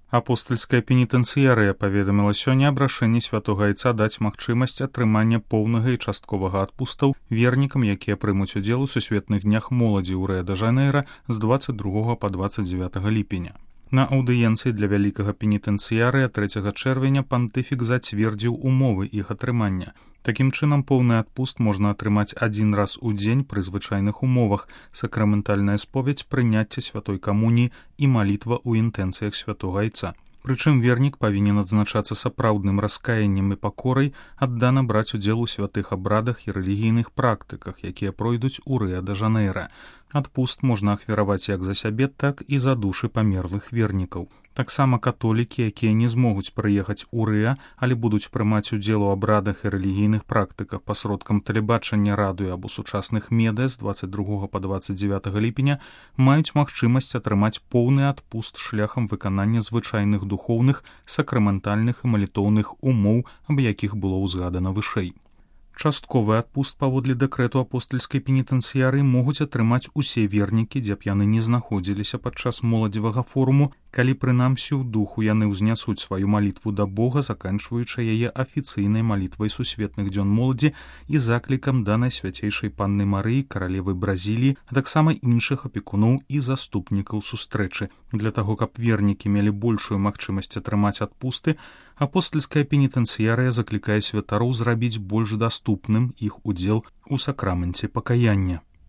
Апостальская пенітэнцыярыя паведаміла сёння аб рашэнні святога айца даць магчымасць атрымання поўнага і частковага адпустаў вернікам, якія прымуць удзел у сусветных днях моладзі ў Рыа-дэ-Жанэйра з 22 па 29 ліпеня. На аўдыенцыі для вялікага пенітэнцыярыя 3 чэрвеня пантыфік зацвердзіў умовы іх атрымання. Такім чынам, поўны адпуст можна атрымаць адзін раз у дзень пры звычайных умовах: сакраментальная споведь, прыняцце святой камуніі і малітва ў інтэнцыях святога айца. Прычым вернік павінен адзначацца сапраўдным раскаяннем і пакорай, аддана браць удзел у святых абрадах і рэлігійных практыках, якія пройдуць у Рыа-дэ-Жанэйра. Адпуст можна ахвяраваць як за сябе, так і за душы памерлых вернікаў. Таксама католікі, якія не змогуць прыехаць у Рыа, але будуць прымаць удзел у абрадах і рэлігійных практыках пасродкам тэлебачання, радыё або сучасных медыа з 22 па 29 ліпеня, маюць магчымасць атрымаць поўны адпуст шляхам выканання звычайных духоўных, сакраментальных і малітоўных умоў, аб якіх было ўзгадана вышэй. Частковы адпуст паводле дэкрэту апостальскай пенітэнцыярыі могуць атрымаць усе вернікі, дзе б яны не знаходзіліся падчас моладзевага форуму, калі прынамсі ў духу яны ўзнясуць сваю малітву да Бога, заканчваючы яе афіцыйнай малітвай сусветных дзён моладзі і заклікам да Найсвяцейшай Панны Марыі, каралевы Бразіліі, а таксама іншых апекуноў і заступнікаў сустрэчы. Для таго, каб вернікі мелі большую магчымасць атрымаць адпусты, апостальская пенітэнцыярыя заклікае святароў зрабіць больш даступным іх удзел у сакраменце пакаяння.